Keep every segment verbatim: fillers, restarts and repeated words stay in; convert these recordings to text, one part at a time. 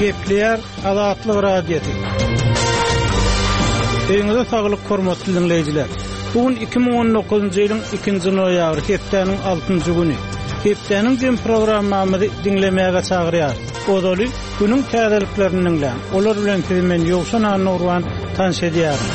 Gepleýär Azatlyk Radiosy. Öýüňize saglyk hormatly diňleýjiler. Bu gün iki müň on dokuzynjy ýylyň ikinji noýabry, hepdäniň altynjy güni. Hepdäniň jem programmamyzy diňlemäge çagyrýar. Ozaly günüň täzeliklerini diňläň. Olar bilen sizi men Ýowşan Annurwan tanyş edýärin.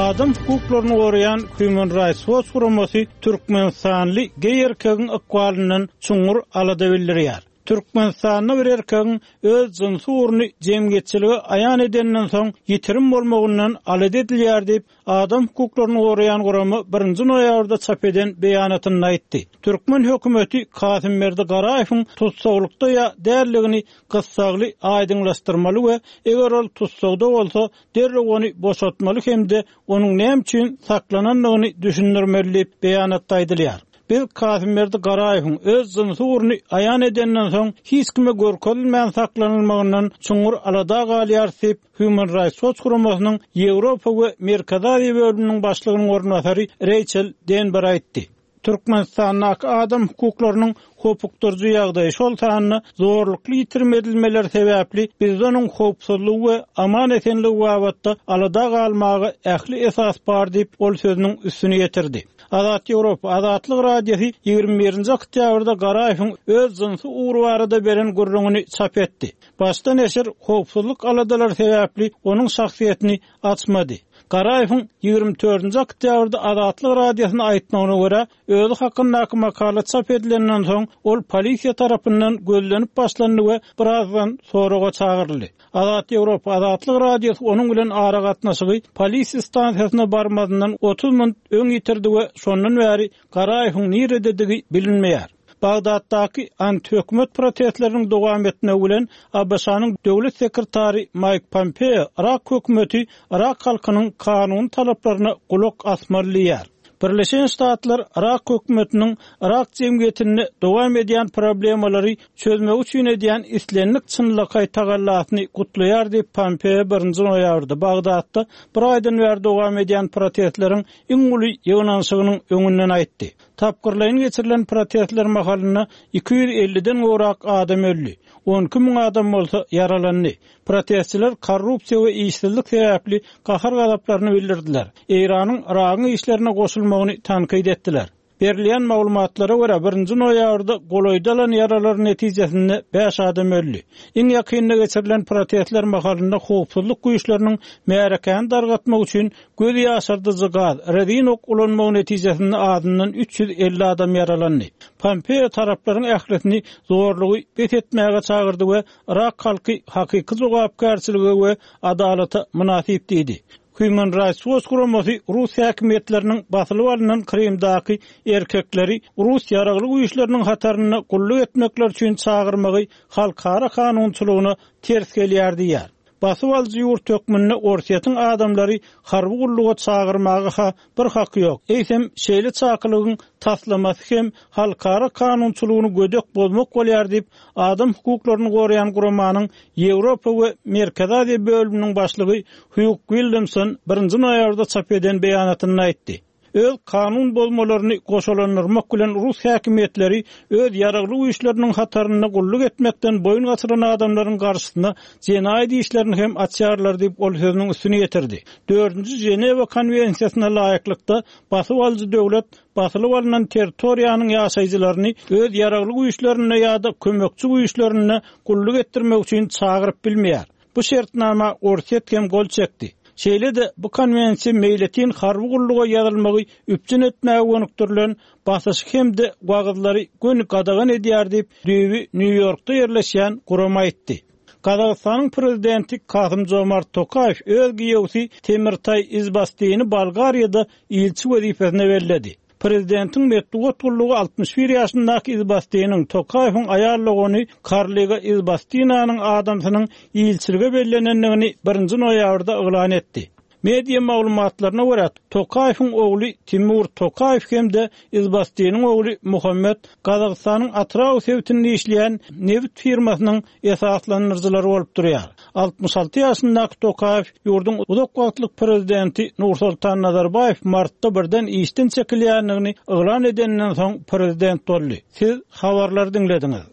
Adam hukuklaryny goraýan Human Rights Watch guramasy Türkmenistanly geý erkegiň ykbalyndan çuňňur alada bildirýär. Türkmenistanda bir erkegiň öz jynsy ugruny jemgyýetçilige aýan edenden soň ýitirim bolmagyndan alada edilýär diýip, adam hukuklaryny goraýan gurama birinji noýabrda çap eden beýanatynda aýtdy. Türkmen hökümeti Kasymberdi Garaýewiň tutsaglykda ýa dälligini gyssagly aýdyňlaşdyrmaly we eger ol tutsagda bolsa, derrew ony boşatmaly hem-de onuň näme üçin saklanandygyny düşündirmeli diýip beýanatda aýdylýar. Biz Kasymberdi Garaýewiň öz jynsy ugruny aýan edenden soň hiç kime görkezilmän saklanylmagyndan çuňňur alada galýar diýip, Human Rights Watch guramasynyň Ýewropa we Merkezi Aziýa bölüminiň başlygynyň orunbasary Rachel Denber aýtdy. Türkmenistandaky adam hukuklarynyň hopukdyryjy ýagdaýy, şol sanda zorlukly ýitirim edilmeler sebäpli bizde onuň howpsuzlygy we aman esenligi babatda alada galmaga ähli esas bar diýip, ol sözüniň üstüni ýetirdi. Azat Ýewropa Azatlyk Radiosy ýigrimi birinji oktýabrda Garaýewiň öz jynsy ugry barada beren gürrüňini çap etdi. Başda neşir howpsuzlyk aladalary sebäpli onuň şahsyýetini açmady. Garaýewiň ýigrimi dördünji oktýabrda Azatlyk Radiosyna aýtmagyna görä, özi hakyndaky makala çap edilenden soň ol polisiýa tarapyndan gözlenip başlandy we birazdan soraga çagyryldy. Azat Ýewropa Azatlyk Radiosy onuň bilen aragatnaşygy polisiýa stansiýasyna barmazyndan otuz minut öň ýitirdi we şondan bäri Garaýewiň nirededigi bilinmeýär. Bagdatdaky antihökümet protestleriniň dowam etmegi bilen A B Ş-nyň döwlet sekretary Mike Pompeo Irak hökümeti Irak halkynyň kanuny talaplaryna gulak asmaly diýýär. Birleşen Ştatlar Irak hökümetiniň Irak jemgyýetinde dowam edýän problemalary çözmek üçin edýän islendik çynlakaý tagallasyny gutlaýar diýip Pompeo birinji noýabrda Bagdatda bir aýdan bäri dowam edýän protestleriň iň uly ýygnanyşygynyň öňünden aýtdy. Tapgyrlaýyn geçirilen protestler mahalynda iki ýüz elliden gowrak adam öldi. on iki müň adam bolsa ýaralandy. Protestçiler korrupsiýa we işsizlik sebäpli gahar gazaplaryny bildirdiler. Eýranyň Iragyň işlerine goşulmagyny tankyt etdiler. Berilýän maglumatlara görä birinji noýabrda golaýda alan ýaralar netijesinde bäş adam öldi. Iň ýakynda geçirilen protestler mahalynda howpsuzlyk güýçleriniň märekäni dargatmak üçin göz ýaşardyjy gaz, rezin ok ulanmagy netijesinde azyndan üç ýüz elli adam ýaralandy. Pompeo taraplaryň ählisini zorlugy bes etmäge çagyrdy we Irak halky hakyky jogapkärçilige we adalata mynasyp diýdi. Human Rights Watch guramasy Rus häkimiýetleriniň basylyp alynan Krymdaky erkekleri Rus ýaragly güýçleriniň hatarynda gulluk etmekler üçin çagyrmagy halkara kanunçylygyna ters gelýär diýýär. Basyp alyjy ýurt hökmünde Orsýetiň adamlary harby gulluga çagyrmaga ha bir haky ýok. Eýsem, şeýle çakylygyň taslamasy hem halkara kanunçylygyny gödek bozmak bolýar diýip, adam hukuklaryny goraýan guramanyň Ýewropa we Merkezi Aziýa bölüminiň başlygy Hugh Williamson birinji noýabrda çap eden beýanatynda aýtdy. Öz kanun bozmalaryny goşalandyrmak bilen Rus häkimiýetleri öz ýaragly güýçleriniň hatarynda gulluk etmekden boýun gaçyran adamlaryň garşysyna jenaýat işlerini hem açýarlar diýip ol sözüniň üstüni ýetirdi. Dördünji Ženewa konwensiýasyna laýyklykda basyp alyjy döwlet basylyp alynan territoriýanyň ýaşaýjylaryny öz ýaragly güýçlerinde ýa-da kömekçi güýçlerinde gulluk etdirmek üçin çagyryp bilmeýär. Bu şertnama Orsýet hem gol çekdi. Şeýle-de bu konwensiýa meýletin harby gulluga ýazylmagy üpjün etmäge gönükdirilen basyş hem-de wagyzlary göni gadagan edýär diýip, düýbi Nýu-Ýorkda ýerleşýän gurama aýtdy. Gazagystanyň prezidenti Kasym Jomart Tokaýew öz giýewsi Temirtaý Izbastini Bolgariýada ilçi wezipesine belledi. Prezidentiň metbugat gullugy altmyş bir ýaşyndaky Izbastiniň Tokaýewiň aýal dogany Karliga Izbastinanyň adamsynyň ilçilige bellenendigini birinji noýabrda yglan etdi. Media maglumatlaryna görä Tokaýewiň ogly Timur Tokaýew hem-de Izbastiniň ogly Muhammed Gazagystanyň Atrau sebitinde işleýän nebit firmasynyň esaslandyryjylary bolup durýar. Altmyş alty ýaşyndaky Tokaýew ýurduň uzak wagtlyk prezidenti Nursultan Nazarbaýew martda birden işden çekilýändigini yglan edenden soň prezident boldy. Siz habarlary diňlediňiz.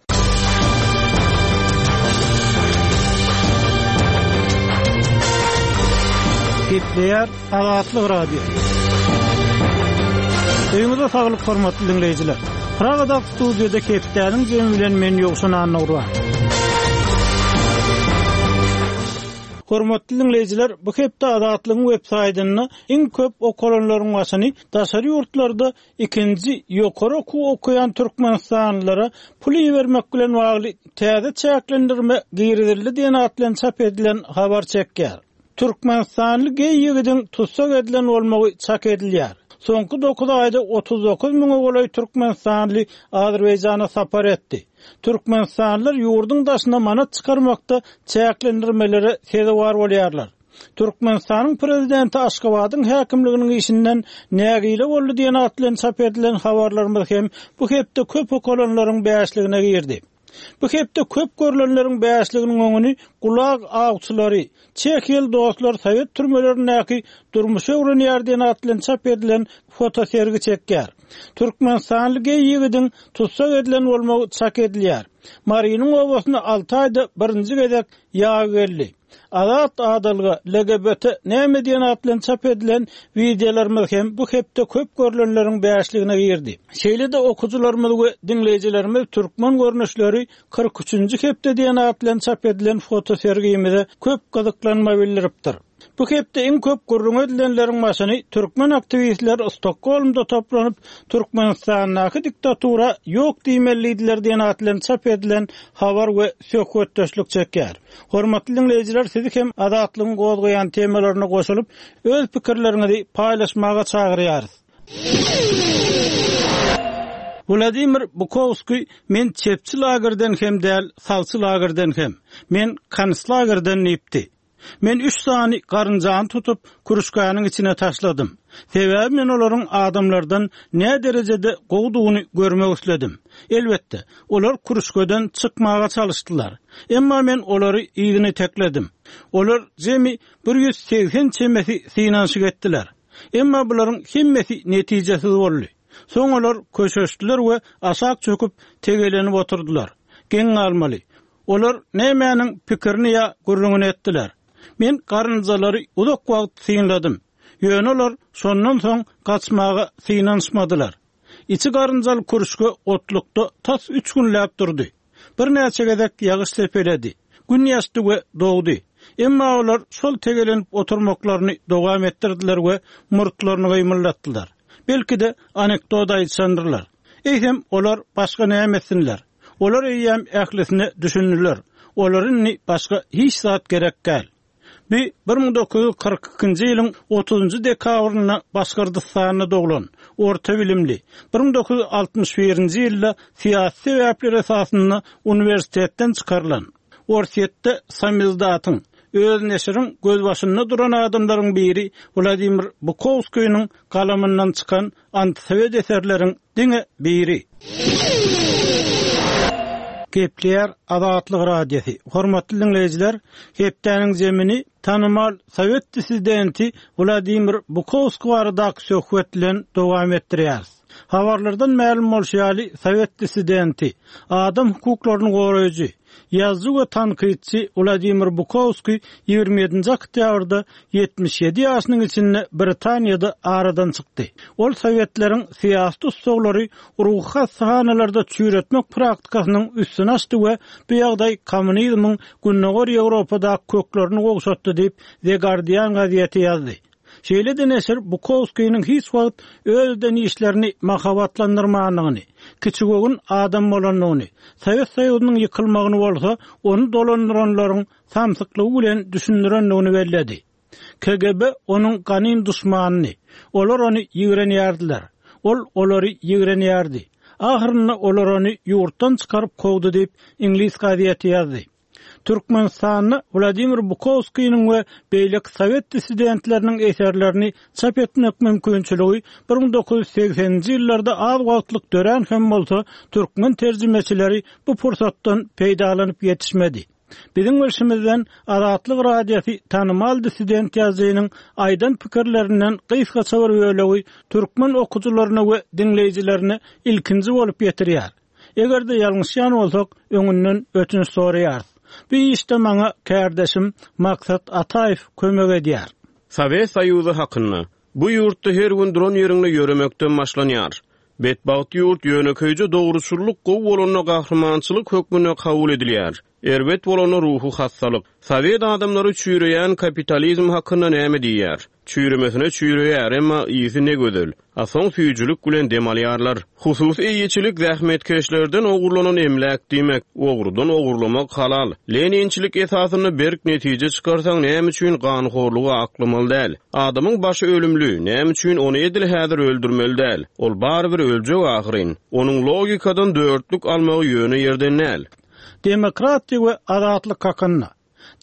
Gepleýär Azatlyk Radiosy. Öýüňize saglyk hormatly diňleýjiler. Pragada studiýada hepdäniň jemi bilen men Ýowşan Annagurban. Hormatly diňleýjiler, bu hepde Azatlygyň web saýtynda iň köp okalanlaryň başyny daşary ýurtlarda ikinji ýokary okuw okaýan türkmenistanlylara pul ibermek bilen bagly täze çäklendirme girizildi diýen at bilen çap edilen habar çekýär. Türkmenistanly geý ýigidiň tussag edilen bolmagy çak edilýär. Soňky dokuz aýda otuz dokuz müňe golaý türkmenistanly Azerbaýjana sapar etdi. Türkmenistanlylar ýurduň daşyna manat çykarmakda çäklendirmelere sezewar bolýarlar. Türkmenistanyň prezidenti Aşgabadyň häkimliginiň işinden nägile boldy diýen at bilen çap edilen habarlarymyz hem bu hepde köp okalanlaryň bäşligine girdi. Bu hepde köp görülenleriň bäşliginiň öňüni Gulag awçylary, Çehiýaly dostlar Sowet türmelerindäki durmuşy öwrenýär diýen at bilen çap edilen fotosergi çekýär. Türkmenistanly geý ýigidiň tussag edilen bolmagy çak edilýär. Marynyň obasyna alty aýda birinji gezek ýag geldi. Azat adalga L G B T näme diýen at bilen çap edilen wideolarymyz hem bu hepde köp görülenleriň bäşligine girdi. Şeýle-de okujylarymyz we diňleýjilerimiz türkmen görnüşleri kyrk üçünji hepde diýen at bilen çap edilen fotosergimize köp gyzyklanma bildiripdir. Bu hepde iň köp gürrüň edilenleriň başyny türkmen aktiwistler Stokgolmda toplanyp Türkmenistandaky diktatura ýok diýmelidiler diýen at bilen çap edilen habar we söhbetdeşlik çekýär. Hormatly diňleýjiler, sizi hem Azatlygyň gozgaýan temalaryna goşulyp, öz pikirleriňizi paýlaşmaga çagyrýarys. Wladimir Bukowski men çepçi lagerden hem däl, sagçy lagerden hem. Men konslagerden diýipdi. Men üç sany garynjany tutup kürüşgäniň içine taşladym. Sebäbi men olaryň adamlardan ne derejede gowdugyny görmek isledim. Elbetde, olar kürüşgeden çykmaga çalışdylar. Emma men olary yzyny tekledim. Olar jemi bir ýüz segsen çemesi synanyşyk etdiler. Emma bularyň hemmesi netijesiz boldy. Soň olar köşeşdiler we aşak çöküp tegelenip oturdylar. Geň galmaly. Olar nämäniň pikirini ýa gürrüňini etdiler. Men garynjalary uzak wagt synladym. Ýöne olar şondan soň gaçmaga synanyşmadylar. Içi garynjaly kürüşge otlukda tas üç günläp durdy. Birnäçe gezek ýagyş sepeledi. Gün ýaşdy we dogdy. Emma olar şol tegelenip oturmaklaryny dowam etdirdiler we murtlaryny gymyldatdylar. Belki de anekdot aýtşandyrlar. Eýsem olar başga näme etsinler? Olar eýýäm ählisine düşündiler. Olar indi başga hiç zat gerek däl. Bi bir müň dokuz ýüz kyrk ikinji ýylyň otuzunjy dekabrynda Başgyrdystanda doglan, orta bilimli, bir müň dokuz ýüz altmyş birinji ýylda syýasy sebäpler esasynda uniwersitetden çykarylan, Orsýetde samizdatyň, öz neşiriň gözbaşynda duran adamlaryň biri Wladimir Bukowskiniň galamyndan çykan antisovet eserleriň diňe biri. Gepleýär Azatlyk Radiosy. Hormatly diňleýjiler, hepdäniň zemini tanymal sowet dissidenti Wladimir Bukowski baradaky söhbet bilen dowam etdirýäris. Habarlardan mälim bolşy ýaly, sowet dissidenti, adam hukuklaryny goraýjy, ýazyjy we tankytçy Wladimir Bukowski ýigrimi ýedinji oktýabrda ýetmiş ýedi ýaşynyň içinde Britaniýada aradan çykdy. Ol sowetleriň syýasy tutsaglary ruhy hassahanalarda çüýretmek praktikasynyň üstüni açdy we bu ýagdaý kommunizmiň Gündogar Ýewropada köklerini gowşatdy diýip The Guardian gazeti ýazdy. Şeýle-de neşir Bukowskiniň hiç wagt öz eden işlerini mahabatlandyrmandygyny, kiçigöwün adam bolandygyny, Sowet Soýuzynyň ýykylmagyny bolsa ony dolandyranlaryň samsyklygy bilen düşündirendigini belledi. K G B onuň ganym duşmanyny, olar ony ýigrenýärdiler. Ol olary ýigrenýärdi. Ahyrynda olar ony ýurtdan çykaryp kowdy diýip Iňlis gazeti ýazdy. Türkmenistanda Wladimir Bukowskiniň we beýleki sowet dissidentleriniň eserlerini çap etmek mümkinçiligi bir müň dokuz ýüz segseninji ýyllarda az wagtlyk dörän hem bolsa, türkmen terjimeçileri bu pursatdan peýdalanyp ýetişmedi. Biziň bilşimizden Azatlyk Radiosy tanymal dissident ýazyjynyň aýdan pikirlerinden gysgaça bir bölegi türkmen okujylaryna we diňleýjilerine ilkinji bolup ýetirýär. Eger-de ýalňyşýan bolsak, öňünden ötünç soraýarys. Bu işde maňa kardeşim Maksat Ataýew kömek edýär. Sowet Soýuzy hakynda. Bu ýurtda her gün duran ýeriňde ýöremekden başlanýar. Betbagt ýurt ýönekeýje dogruçyllyk gowy bolanda gahrymançylyk hökmünde kabul edilýär. Erbet bolanda ruhy hassalyk. Sowet adamlary çüýreýän kapitalizm hakynda näme diýýär? Çüýremesine çüýreýär, emma ysy ne gözel. A soň süýjülik bilen dem alýarlar. Hususy eýeçilik zähmetkeşlerden ogurlanan emläk diýmek. Ogrudan ogurlamak halal. Leninçilik esasynda berk netije çykarsaň näme üçin ganhorlugy aklamaly däl? Adamyň başy ölümli, näme üçin ony edil häzir öldürmeli däl? Ol barybir öljek ahyryn. Onuň logikadan dörtlük almagy ýöne ýerden däl. Demokratiýa we azatlyk hakynda.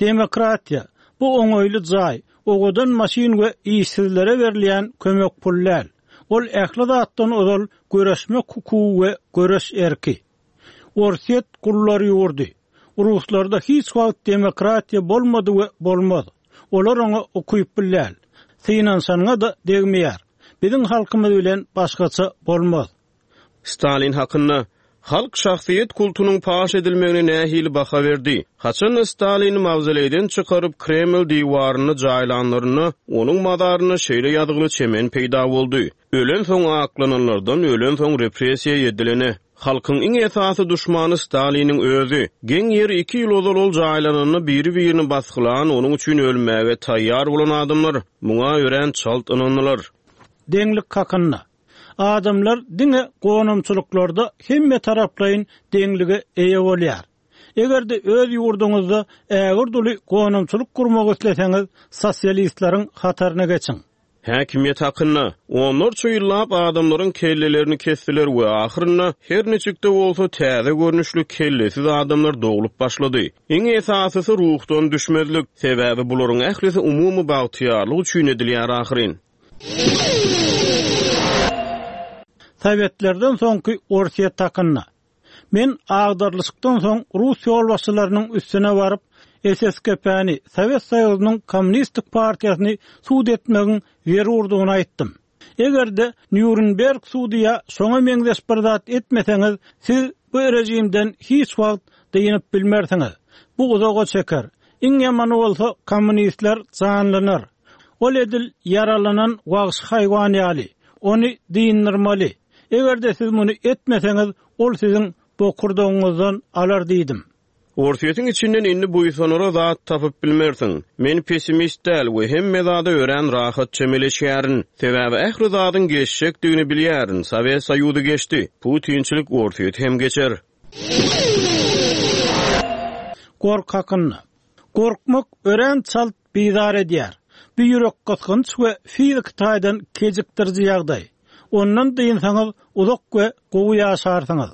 Demokratiýa, bu oňaýly jaý, owadan maşyn we işsizlere berilýän kömek pul däl. Ol ähli zatdan ozal göreşmek hukugy we göreş erki. Orsýet gullar ýurdy. Ruslarda hiç wagt demokratiýa bolmady we bolmaz. Olar oňa ukyply däl. Synanyşanyňa-da degmeýär. Biziň halkymyz bilen başgaça bolmaz. Stalin hakynda. Halk şahsyýet kultunyň paş edilmegine nähili baha berdi? Haçanda Stalini mawzoleýden çykaryp Kreml diwarynda jaýlanlarynda, onuň mazarynda şeýle ýazgyly çemen peýda boldy, Ölensoň aklananlardan ölensoň repressiýa edilene. Halkyň iň esasy duşmany Staliniň özi. Geň ýeri iki ýyl ozal ol jaýlananda biri-birini basgylan, onuň üçin ölmäge taýýar bolan adamlar muňa örän çalt ynandylar. Deňlik hakynda. Adamlar diňe gonamçylyklarda hemme taraplaýyn deňlige eýe bolýar. Eger-de öz ýurduňyzda ägirt uly gonamçylyk gurmak isleseňiz, sosialistleriň hataryna geçiň. Häkimiýet hakynda. Onlarça ýyllap adamlaryň kellelerini kesdiler we ahyrynda her niçik-de bolsa täze görnüşli kellesiz adamlar doglup başlady. Iň esasysy ruhdan düşmezlik, sebäbi bularyň ählisi umumy bagtyýarlyk üçin edilýär ahyryn. Sowetlerden soňky Orsýet hakynda. Men agdarylyşykdan soň rus ýolbaşçylarynyň üstüne baryp, S S K P-ni, Sowet Soýuzynyň Kommunistik partiýasyny sud etmegiň zerurdygyny aýtdym. Eger-de Nýurnberg sudy ýa şoňa meňzeş bir zat etmeseňiz, siz bu režimden hiç wagt dynyp bilmersiňiz. Bu uzaga çeker. Iň ýamany bolsa kommunistler janlanar. Ol edil ýaralanan wagşy haýwan ýaly. Ony dynyrmaly. Eger-de siz muny etmeseňiz, ol siziň bokurdagyňyzdan alar diýdim. Orsýetiň içinden indi buýsanara zat tapyp bilmersiň. Men pessimist däl we hemme zada örän rahat çemeleşýärin. Sebäbi ähli zadyň geçjekdigini bilýärin. Sowet Soýuzy geçdi. Putinçilik Orsýeti hem geçer. Gorky hakynda. Gorkmak örän çalt bizar edýär. Bu ýürek gysgynç we fiziki taýdan kejikdiriji ýagdaý. Ondan dynsaňyz uzak we gowy ýaşarsyňyz.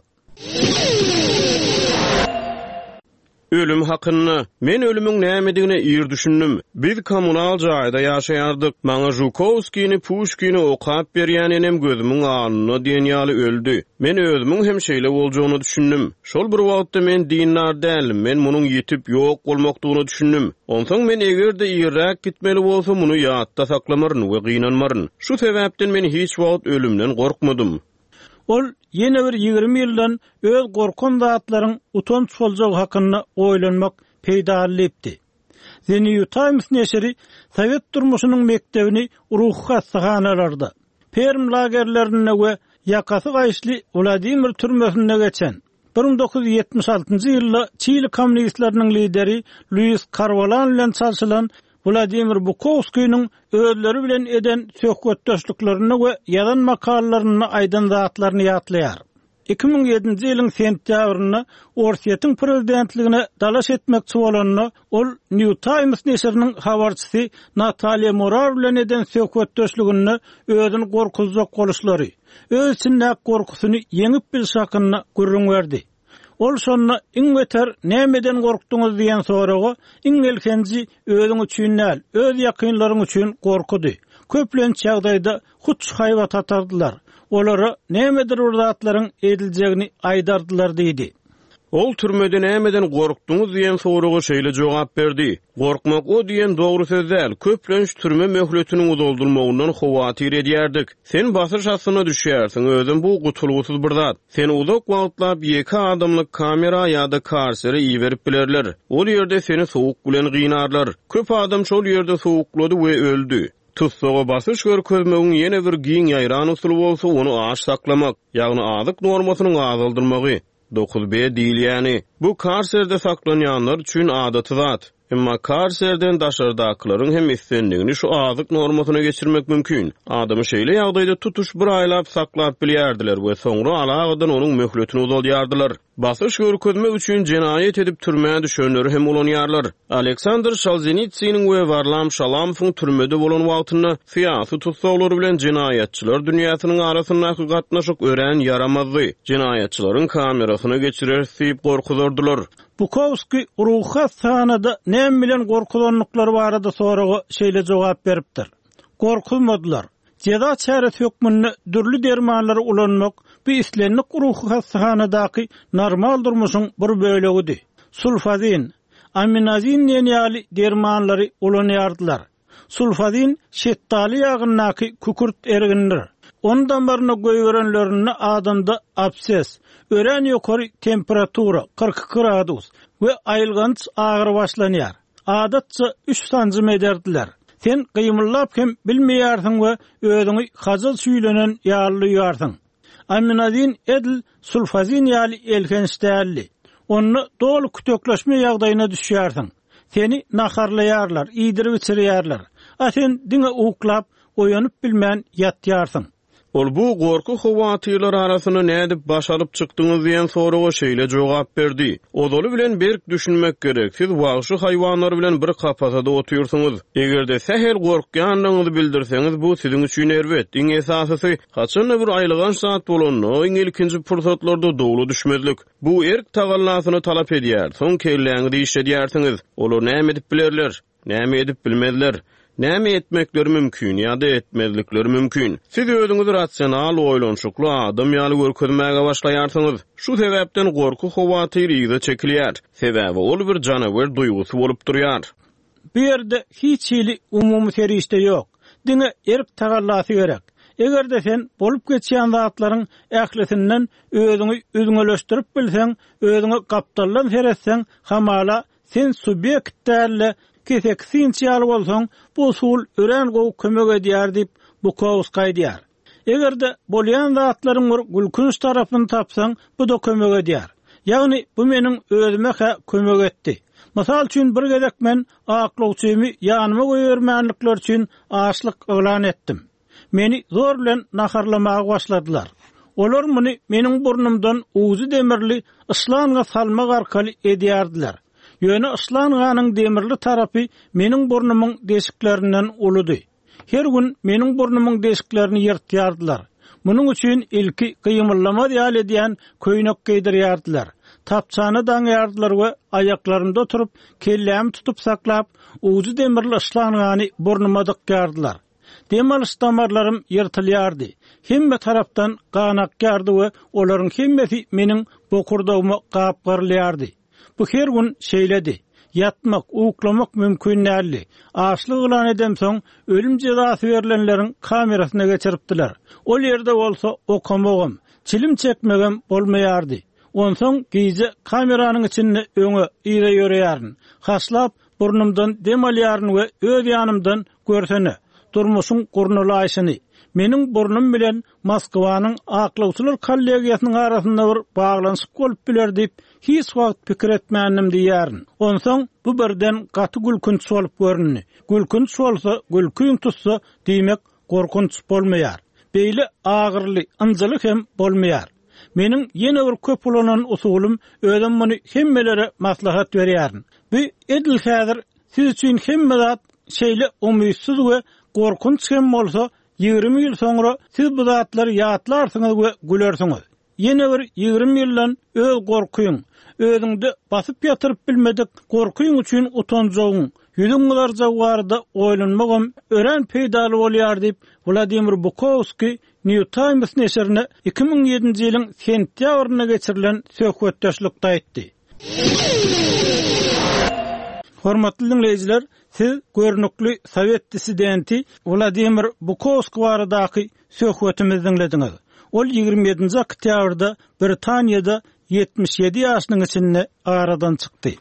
Ölüm hakynda. Men ölümiň nämedigine ir düşündim. Biz kommunal jaýda ýaşaýardyk. Maňa Žukowskini, Puşkini okap berýän enem gözümiň alnynda diýen ýaly öldi. Men özümiň hem şeýle boljagyna düşündim. Şol bir wagtda men dindar däldim. Men munuň ýetip ýok bolmakdygyna düşündim. Onsoň men eger-de irräk gitmeli bolsa muny ýatda saklamaryn we gynanmaryn. Şu sebäpden men hiç wagt ölümden gorkmadym. Ol ýene bir ýigrimi ýyldan öz gorkan zatlaryň utanç boljagy hakynda oýlanmak peýdaly diýipdi. The New Times neşiri Sowet durmuşynyň mekdebini ruhy hassahanalarda, Perm lagerlerinde we ýakasy gaýyşly Wladimir türmesinde geçen bir müň dokuz ýüz ýetmiş altynjy ýylda Çili kommunistleriniň lideri Luis Karwalan bilen çalşylan Wladimir Bukowskiniň özleri bilen eden söhbetdeşliklerinde we ýazan makalalarynda aýdan zatlaryny ýatlaýar. Iki müň ýedinji ýylyň sentýabrynda Orsýetiň prezidentligine dalaş etmekçi bolanda, ol New Times neşiriniň habarçysy Natalýa Morar bilen eden söhbetdeşliginde özüni gorkuzjak boluşlary, öz içindäki gorkusyny ýeňip bilşi hakynda gürrüň berdi. Ol şonda iň beter nämeden gorkduňyz diýen soraga iň ilkinji özüň üçin däl, öz ýakynlaryň üçin gorkudy. Köplenç ýagdaýda hut şu haýbat atardylar. Olara nämedir bir zatlaryň ediljegini aýdardylar diýdi. Ol türmede nämeden gorkduňyz diýen soraga şeýle jogap berdi. Gorkmak o diýen dogry söz däl, köplenç türme möhletiniň uzaldylmagyndan howatyr edýärdik. Sen basyş astyna düşýärsiň, özem bu gutulgysyz bir zat. Seni uzak wagtlap ýeke adamlyk kamera ýa-da karsere iberip bilerler. Ol ýerde seni sowuk bilen gynarlar. Köp adam şol ýerde sowuklady we öldi. Tussaga basyş görkezmegiň ýene bir giň ýaýran usuly bolsa ony aç saklamak, ýagny azyk normasynyň azaldylmagy. Dokuz B diýilýäni. Bu karserde saklanýanlar üçin adaty zat. Emma karserden daşardakylaryň hem islendigini şu azyk normasyna geçirmek mümkin. Adamy şeýle ýagdaýda tutuş bir aýlap saklap bilýärdiler we soňra alagadan onuň möhletini uzaldýardylar. Basyş görkezmek üçin jenaýat edip türmä düşenleri hem ulanýarlar. Aleksandr Solženitsiniň we Warlam Şalamowyň türmede bolan wagtynda syýasy tussaglar bilen jenaýatçylar dünýäsiniň arasyndaky gatnaşyk örän ýaramazdy. Jenaýatçylaryň kamerasyna geçirer diýip gorkuzardylar. Bukowski ruhy hassahanada näme bilen gorkuzanlyklary barada soraga şeýle jogap beripdir. Gorkuzmadylar. Jeza çäresi hökmünde dürli dermanlary ulanmak bu islendik ruhy hassahanadaky normal durmuşyň bir bölegidi. Sulfazin, aminazin diýen ýaly dermanlary ulanýardylar. Sulfazin şetdaly ýagyndaky kükürt ergindir. Onun damarına goýberenlerinde adamda abses, örän ýokary temperatura kyrk iki gradus we aýylganç agyr başlanýar. Adatça üç sanjym ederdiler. Sen gymyllap hem bilmeýärsiň we özüňi hazal süýlenen ýaly duýarsyň. Aminazin edil sulfazin ýaly elhenç däldi. Onda doly kütekleşme ýagdaýyna düşýärsiň. Seni naharlaýarlar, iýdirip içirýärler. A sen diňe uklap, oýanyp bilmän ýatýarsyň. Ol bu gorky howatyrlar arasynda nädip baş alyp çykdyňyz diýen soraga şeýle jogap berdi. Ozaly bilen berk düşünmek gerek. Siz wagşy haýwanlar bilen bir kapasada otyrsyňyz. Eger-de sähel gorkýandygyňyzy bildirseňiz, bu siziň üçin erbet. Iň esasysy, haçanda bir aýylganç zat bolanda, iň ilkinji pursatlarda dowla düşmezlik. Bu erk tagallasyny talap edýär. Soň kelläňizi işledýärsiňiz. Olar näme edip bilerler? Näme edip bilmezler? Näme etmekleri mümkin ýa-da etmezlikleri mümkin? Siz özüňizi rasional, oýlanyşykly adam ýaly görkezmäge başlaýarsyňyz. Şu sebäpden gorky howatyr ýygy çekilýär. Sebäbi ol bir janawer duýgusy bolup durýar. Bu ýerde hiç hili umumy serişde ýok. Diňe erk tagallasy gerek. Eger-de sen bolup geçýän zatlaryň ählisinden özüňi üzňeleşdirip bilseň, özüňe gapdaldan seretseň, hamala sen subýekt däl-de kesek sinç ýaly bolsaň, bu usul örän gowy kömek edýär diýip Bukowski aýdýar. Eger-de bolýan zatlaryň bir gülkünç tarapyny tapsaň, bu da kömek edýär. Ýagny bu meniň özüme-hä kömek etdi. Mysal üçin bir gezek men aklawçymy ýanyma goýbermänlikler üçin açlyk yglan etdim. Meni zor bilen naharlamaga başladylar. Olar muny meniň burnumdan uzy demirli ışlanga salmak arkaly edýärdiler. Ýöne ışlanganyň demirli tarapy meniň burnumyň deşiklerinden uludy. Her gün meniň burnumyň deşiklerini ýyrtýardylar. Munuň üçin ilki gymyllamaz ýaly edýän köýnek geýdirýärdiler. Tapçany daňýardylar we aýaklarynda oturyp, kellämi tutup saklap, uzy demirli ışlangany burnuma dykýardylar. Dem alyş damarlarym ýyrtylýardy. Hemme tarapdan gan akýardy we olaryň hemmesi meniň bokurdagyma gapgarylýardy. Bu her gün şeýledi. Ýatmak, uklamak mümkin däldi. Açlyk yglan edemsoň, ölüm jezasy berlenleriň kamerasyna geçiripdiler. Ol ýerde bolsa okamagam, çilim çekmegem bolmaýardy. Onsoň gije kameranyň içinde öňe, yza ýörýärin. Haşlap burnumdan dem alýaryn we öz ýanymdan görsene, durmuşyň gurnalaýşyny. Meniň burnum bilen Moskwanyň aklawçylar kollegiýasynyň arasynda bir baglanyşyk bolup biler diýip hiç wagt pikir etmändim diýýärin. Onsoň bu birden gaty gülkünç bolup göründi. Gülkünç bolsa, gülküň tutsa, diýmek gorkunç bolmaýar. Beýle agyrly, ynjyly hem bolmaýar. Meniň ýene bir köp ulanan usulym, özüm muny hemmelere maslahat berýärin. Bu edil häzir siz üçin hemme zat şeýle umytsyz we gorkunç hem bolsa, ýigrimi ýyl soňra siz bu zatlary ýatlarsyňyz we gülersiňiz. Ýene bir ýigrimi ýyldan öz gorkyň, özüňde basyp ýatyryp bilmedik gorkyň üçin utanjagyň, Ýüzüň gyzarjagy barada oýlanmagam örän peýdaly bolýar diýip, Wladimir Bukowskiý New Times neşirine iki müň ýedinji ýylyň sentýabrynda geçirilen söhbetdeşlikde aýtdy. Hormatly dinleýjiler, siz görnükli sowet dissidenti Wladimir Bukowskiý baradaky söhbetimizi diňlediňiz. Ol ýigrimi ýedinji oktýabrda Britaniýada ýetmiş ýedi ýaşynyň içinde aradan çykdy.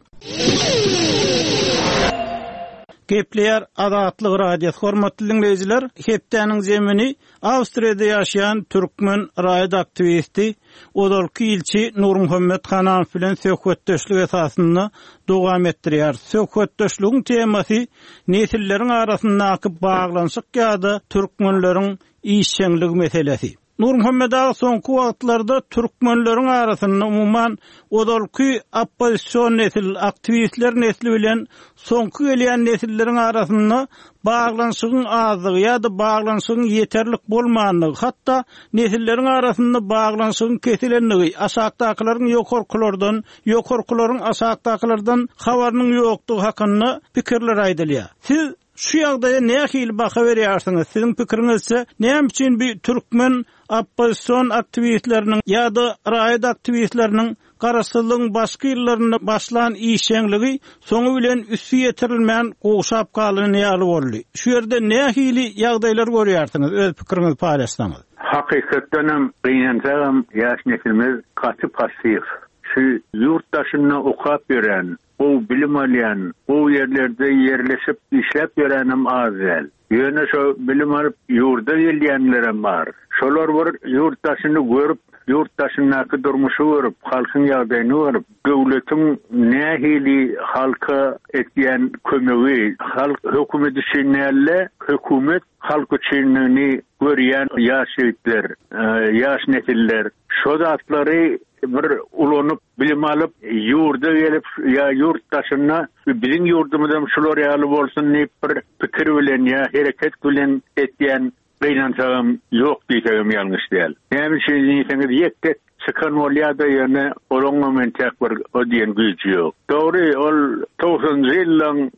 Gepleýär Azatlyk Radiosy. Hormatly dinleýjiler, hepdäniň zemini Awstriýada ýaşaýan türkmen raýat aktiwisti ozalky ilçi Nurmuhammet Hananow bilen söhbetdeşlik esasynda dowam etdirýär. Söhbetdeşligiň temasy nesilleriň arasyndaky baglanyşyk ýa-da türkmenleriň işjeňligi meselesi. Nurmuhammet aga, soňky wagtlarda türkmenleriň arasynda umuman ozalky oppozision nesil, aktiwistler nesli bilen soňky gelýän nesilleriň arasynda baglanyşygyň azlygy ýa-da baglanyşygyň ýeterlik bolmanlygy, hatda nesilleriň arasynda baglanyşygyň kesilenligi, aşakdakylaryň ýokarkylardan, ýokarkylaryň aşakdakylardan habarynyň ýokdugy hakynda pikirler aýdylýar. Siz şu ýagdaýa nähili baha berýärsiňiz? Siziň pikiriňizçe näme üçin bir türkmen oppozision aktiwistleriniň ýa-da raýat aktiwistleriniň garaşsyzlygyň başky ýyllarynda başlan işjeňligi soňy bilen üsti ýetirilmän gowşap galan ýaly boldy? Şu ýerde nähili ýagdaýlar görýärsiňiz? Öz pikiriňizi paýlaşsaňyz. Hakykatdan hem gynansagam ýaş neslimiz gaty passiw. Şu ýurt daşynda okap ýören, gowy bilim alýan, gowy ýerlerde ýerleşip işläp ýörenem az däl. Ýöne şo bilim alyp ýurda gelýänlerem bar. Şolar bir ýurt daşyny görüp, ýurt daşyndaky durmuşy görüp, halkyň ýagdaýyny görüp, döwletiň nähili halka etýän kömegi, halk hökümet üçin näle, hökümet halk üçinligini görýän ýaş ýigitler, e, ýaş nesiller şo zatlary bir ulanyp, bilim alyp, ýurda gelip ýa ýurt daşynda biziň ýurdumyzam şular ýaly bolsun diýip bir pikir bilen ýa hereket bilen etýän gynansagam ýok diýsegem ýalňyş däl. Näme üçin diýseňiz, ýek-tek çykan bolýar da ýöne olaňam entek bir o diýen güýji ýok. Dogry, ol togsanjy ýyllaň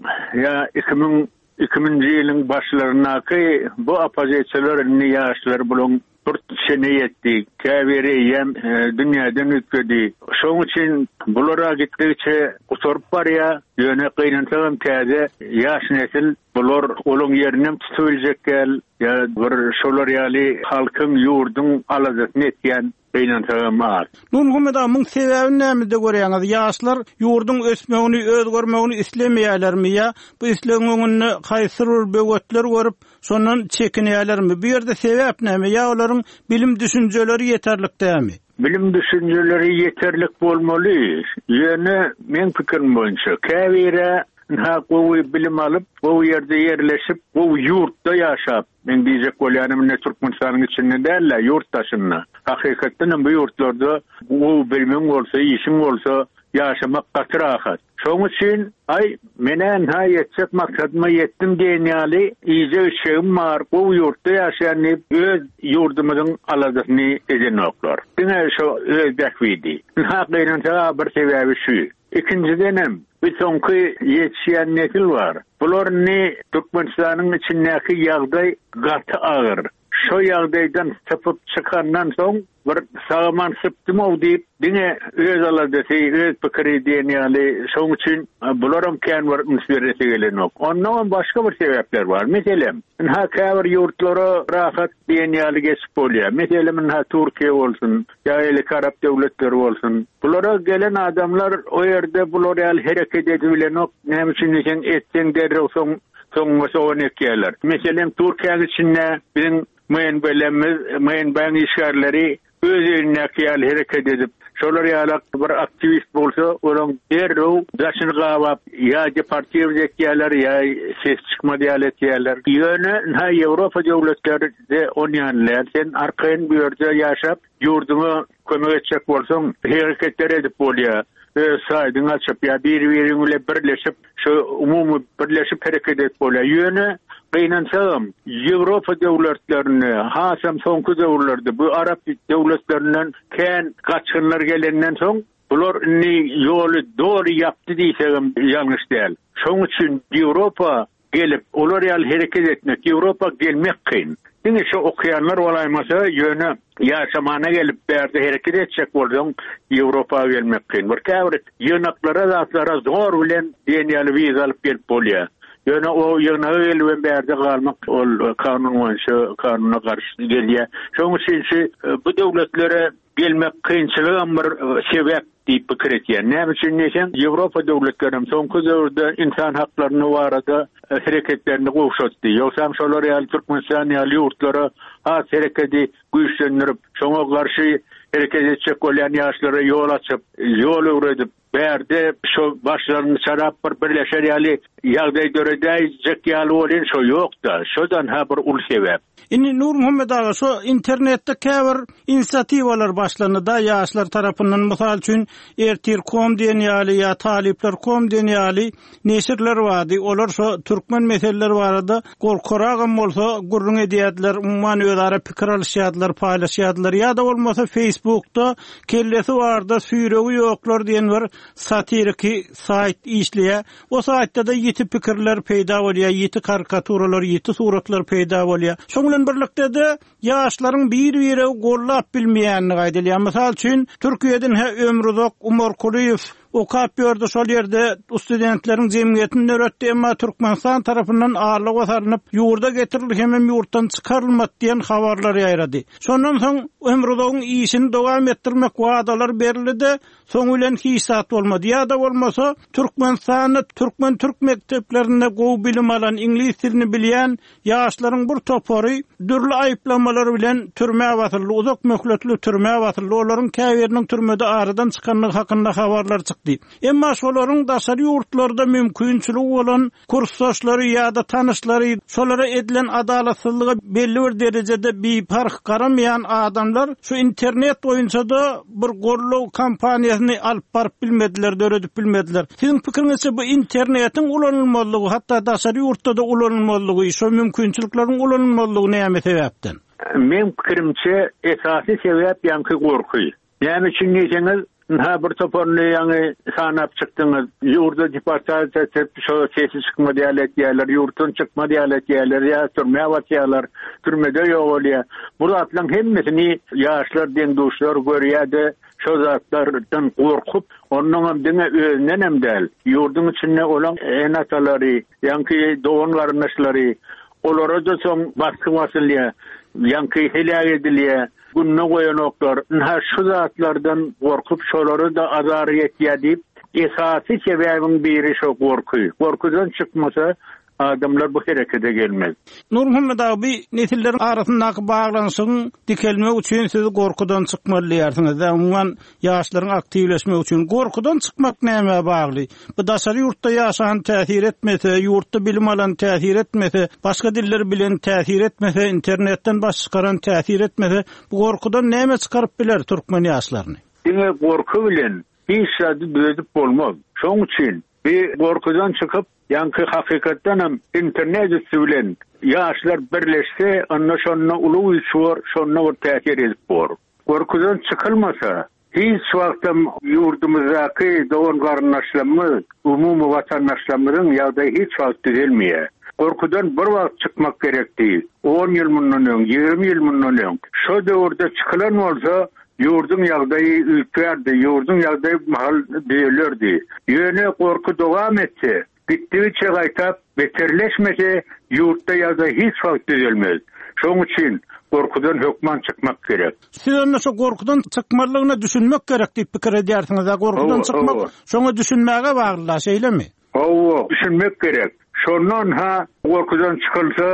ýa iki müň iki müňünji ýylyň başlaryndaky bu oppozisiýalar indi ýaşlar bulaň bir çene ýetdi, käbiri eýýäm, e, dünýäden üýtgedi. Şonuň üçin bulara gitdikçe gutaryp barýar, ýöne gynansagam täze ýaş nesil bular olaň ýerinem tutup biljek däl, ýa bir şolar ýaly halkyň, ýurduň aladasyny etýän gynansagam az. Nurmuhammet aga, muň sebäbini nämede görýäňiz? Ýaşlar ýurduň ösmegini, özgermegini islemeýärlermi ýa bu islegiň öňünde haýsy bir böwetler görüp, şondan çekinýärlermi? Bu ýerde sebäp näme? Ýa olaryň bilim düşünjeleri ýeterlik dälmi? Bilim düşünjeleri ýeterlik bolmaly. Ýöne men pikirim boýunça käbiri ha gowy bilim alyp, gowy ýerde ýerleşip, gowy ýurtda ýaşap, men diýjek bolýanym ine Türkmenistanyň içinde däl-de, ýurt daşynda. Hakykatdan hem bu ýurtlarda gowy bilimiň bolsa, işiň bolsa ýaşamak gaty rahat. Şonuň üçin aý menen ha ýetjek maksadyma ýetdim diýen ýaly iýjek içjegim bar, gowy ýurtda ýaşaýan diýip öz ýurdumyzyň aladasyny edenoklar. Diňe şo öz bähbidi. Ha gynansa bir sebäbi şu. Ikinjiden hem bir soňky ýetişýän nesil bar. Bular indi Türkmenistanyň içindäki ýagdaý gaty agyr. Şo ýagdaýdan sypyp çykandan soň bir sagaman sypdym-ow diýip diňe öz aladasy, öz pikiri diýen ýaly, şonuň üçin bularam kän bir üns beresi gelenok. Ondan başga bir sebäpler bar. Meselem, ynha käbir ýurtlara rahat diýen ýaly geçip bolýar. Meselem, ynha Türkiýe bolsun, ýa elki Arap döwletleri bolsun. Bulara gelen adamlar o ýerde bular ýaly hereket edibilenok. Näme üçin diýseň, etseň derrew soň soňuna sogan ekýärler. Meselem, Türkiýäniň içinde biziň M N B-lerimiz, M N B-niň işgärleri öz elindäki ýaly hereket edip, şolar ýaly bir aktiwist bolsa, olaň derrew daşyny gabap, ýa deportiw etýärler, ýa ses çykmaz ýaly etýärler. Ýöne ynha Ýewropa döwletleri onýan däl. Sen arkaýyn bu ýerde ýaşap, ýurduňa kömek etjek bolsaň, hereketler edip bolýar. Öz saýdyňy açyp ýa bir-biriň bilen birleşip, şu umumy birleşip hereket edip bolýar. Ýöne gynansagam Ýewropa döwletlerinde, hasam soňky döwürlerde bu Arap döwletlerinden kän gaçgynlar gelenden soň Bular indi ýoly doly ýapdy diýsegem ýalňyş däl. Şonuň üçin Ýewropa gelip, olar ýaly hereket etmek, Ýewropa gelmek kyn. Diňe şu okaýanlar bolaýmasa, ýöne ýaşamana gelip bärde hereket etjek bolsaň, Ýewropa gelmek kyn. Bir käbir ýygnaklara zatlara zor bilen diýen ýaly wiza alyp gelip bolýar. Ýöne o ýygnaga gelip bärde galmak ol kanun boýunça kanuna garşy gelýär. Şonuň üçin şu bu döwletlere gelmek kynçylygam bir sebäp diýip pikir etýän. Näme üçin diýseň, Ýewropa döwletleri soňky döwürde insan haklaryny barada hereketlerini gowşatdy. Ýogsam şolar ýaly Türkmenistan ýaly ýurtlara has hereketi güýçlendirip, şoňa garşy hereket etjek bolýan ýaşlara ýol açyp, ýol öwredip, bärde şo başlaryny çarap bir birleşer ýaly ýagdaý döredäýjek ýaly bolýan şo ýok-da. Şodan ha bir uly sebäp. Indi Nurmuhammet aga şo internetde käbir inisiatiwalar başlandy da ýaşlar tarapyndan mysal üçin Ertir.com diýen ýaly ýa Talyplar.com diýen ýaly neşirler bardy. Olar şo türkmen meseleleri barada gorkaragam bolsa gürrüň edýärdiler, umuman özara pikir alyşýardylar, paýlaşýardylar ýa-da bolmasa Facebookda kellesi barda süýregi ýoklar diýen bir satiriki saýt işleýär. O saýtda da ýiti pikirler peýda bolýar, ýiti karikaturalar, ýiti suratlar peýda bolýar. Şoň bilen birlikde de ýaşlaryň bir-biri gollap bilmeýänini aýdylýar. Mysal üçin, Türkiýeden he Ömruzok Umar Kulyýew okap ýördi şol ýerde studentleriň jemgyýetini döretdi, emma Türkmenistan tarapyndan allyga salynyp, ýurda getirildi hem ýurtdan çykarylmady diýen habarlar ýaýrady. Şondan soň Ömruzogyň işini dowam etdirmek wadalar berildi, soň bilen hiç zat bolmady. Ýa-da bolmasa Türkmenistanda türkmen türk mekdeplerinde gowy bilim alan, iňlis dilini bilýän ýaşlaryň bir topary dürli aýyplamalar bilen türmä basyldy, uzak möhletli türmä basyldy. Olaryň käbiriniň türmede aradan çykanlygy hakynda habarlar çykdy. Emma şolaryň daşary ýurtlarda mümkinçiligi bolan kursdaşlary ýa-da tanyşlary şolara edilen adalatsyzlyga belli bir derejede biparh garamaýan adamlar şu internet boýunça da bir gollow kampaniýasyny alyp baryp bilmediler, döredip bilmediler. Siziň pikiriňizçe bu internetiň ulanylmazlygy, hatda daşary ýurtda da ulanylmazlygy, şu mümkinçilikleriň ulanylmazlygy näme sebäpden? Men pikirimçe esasy sebäp ýaňky gorky. Näme üçin diýseňiz, ha bir toparyny ýaňy sanap çykdyňyz. Ýurda deportasiýa etip, şo sesi çykmady ýaly etýärler, ýurtdan çykmady ýaly etýärler, ýa türmä basýarlar, türmede ýok bolýar. Bu zatlaryň hemmesini ýaşlar, deň-duşlar görýär-de, şo zatlardan gorkup, ondan hem diňe özünden hem däl, ýurduň içinde olan ene-atalary, ýaňky dogan garyndaşlary, olara da soň basky basylýar, ýaňky heläk edilýär, gününe goýanoklar. Nha şu zatlardan gorkup şolara da azar ýetýär diýip, esasy sebäbiň biri şo gorky. Gorkudan çykmasa adamlar bu herekete gelmez. Nurmuhammet abi, nesilleriň arasyndaky baglanyşygyň dikelmegi üçin siz gorkudan çykmaly diýersiňiz. Umuman ýaşlaryň aktiwleşmegi üçin gorkudan çykmak näme bagly? Bu daşary ýurtda ýaşan täsir etmese, ýurtda bilim alan täsir etmese, başga diller bilen täsir etmese, internetden baş çykaran täsir etmese, bu gorkudan näme çykaryp biler türkmen ýaşlaryny? Diňe gorky bilen hiç zady düzedip bolmaz. Şoň üçin bir gorkudan çykyp, ýaňky hakykatdan hem internet üstü bilen ýaşlar birleşse, onda şonda uly güýç bor, şonda bir täsir edip bor. Gorkudan çykylmasa, hiç wagtam ýurdumyzdaky dogan garyndaşlarymyz, umumy watandaşlarymyzyň ýagdaýy hiç wagt düzelmeýär. Gorkudan bir wagt çykmak gerekdi. on ýyl mundan öň, ýigrimi ýyl mundan öň. Şo döwürde çykylan bolsa, ýurduň ýagdaýy üýtgärdi, ýurduň ýagdaýy mahal düzelerdi. Ýöne gorky dowam etse, gitdigiçe gaýtap beterleşmese, ýurtda ýagdaý hiç wagt düzelmez. Şonuň üçin gorkudan hökman çykmak gerek. Siz onda şo gorkudan çykmalygyna düşünmek gerek diýip pikir edýärsiňiz, a gorkudan Hawa, çykmak hawa. şoňa düşünmäge bagly, şeýlemi? Hawa, düşünmek gerek. Şondan ha gorkudan çykylsa,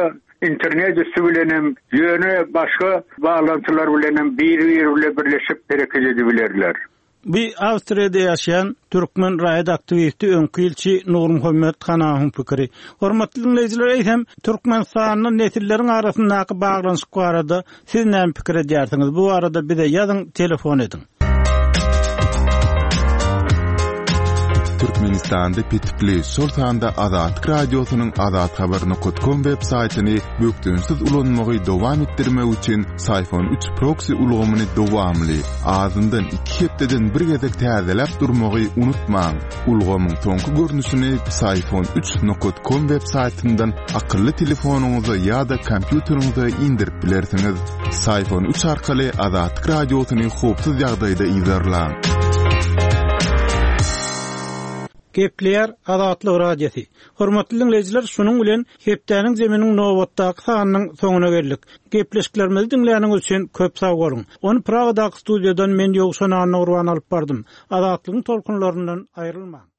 internet üstü bilenem, ýöne başga baglantylar bilenem bir-biri bilen birleşip hereket edibilerler. Bir Awstriýada ýaşaýan türkmen raýat aktiwisti öňki ilçi Nurmuhammet Hanawyň pikiri. Hormatly dinleýjiler, eýsem Türkmenistanda nesilleriň arasyndaky baglanyşyk barada siz näme pikir edýärsiňiz? Bu barada bize ýazyň, telefon ediň. Türkmenistanda petikli, şol sanda Azatlyk Radiosynyň azathabar.com web saýtyny bökdençsiz ulanmagy dowam etdirmek üçin Psiphon üç proksi ulgamyny dowamly, azyndan iki hepdeden bir gezek täzeläp durmagy unutmaň. Ulgamyň soňky görnüşini Psiphon üç nokat com web saýtyndan akylly telefonyňyza ýa-da kompýuteriňize indirip bilersiňiz. Psiphon üç arkaly Azatlyk Radiosyny howpsuz ýagdaýda yzarlaň. Gepleýär Azatlyk Radiosy. Hormatly dinleýjiler, şunuň bilen hepdäniň zeminiň nobatdaky sanynyň soňuna geldik. Gepleşiklerimizi diňläniňiz üçin köp sag boluň. Ony Pragadaky studiýadan men Ýowşan Annagurban alyp bardym. Azatlygyň tolkunlaryndan aýrylmaň.